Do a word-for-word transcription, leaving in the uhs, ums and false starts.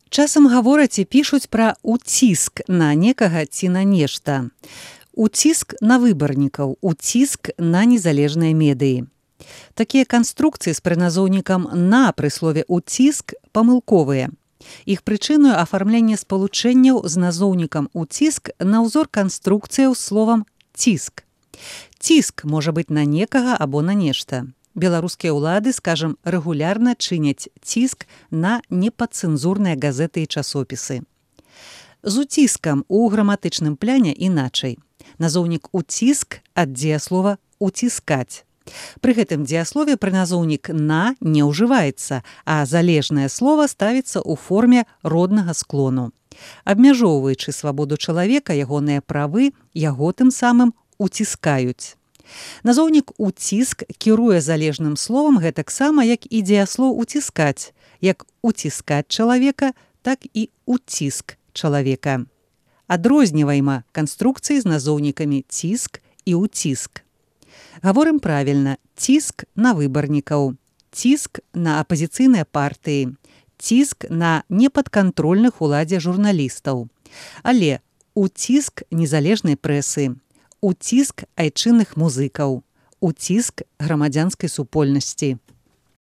Часам гавораць і пішуць пра уціск на некага ці на нешта. Уціск на выбарнікаў, уціск на незалежныя медыі. Такія канструкцыі з прыназоўнікам «на» пры слове «уціск» памылковыя. Іх прычыною афармленне спалучэнняў з назоўнікам «уціск» на ўзор канструкцыяў з словам «ціск». Ціск можа быць на некага або на нешта. Беларускія ўлады, скажам, рэгулярна чыняць ціск на непадцэнзурныя газеты і часопісы. З уціскам у граматычным пляне іначай. Назоўнік «уціск» ад дзеяслова «уціскаць». Пры гэтым дзеяслове прыназоўнік «на» не ўжываецца, а залежнае слова ставіцца ў форме роднага склону. Абмяжоўваючы свабоду чалавека, ягоныя правы яго тым самым уціскаюць. Назоўнік «уціск» кіруе залежным словам гэтаксама, як і дзеяслоў «уціскаць», як уціскаць чалавека, так і уціск чалавека. Адрознівайма канструкцыі з назоўнікамі «ціск» і «уціск». Гаворым правільна: ціск на выбарнікаў, ціск на апазіцыйныя партыі, ціск на непадкантрольных уладзе журналістаў, але уціск незалежнай прэсы, уціск айчынных музыкаў, уціск грамадзянскай супольнасці.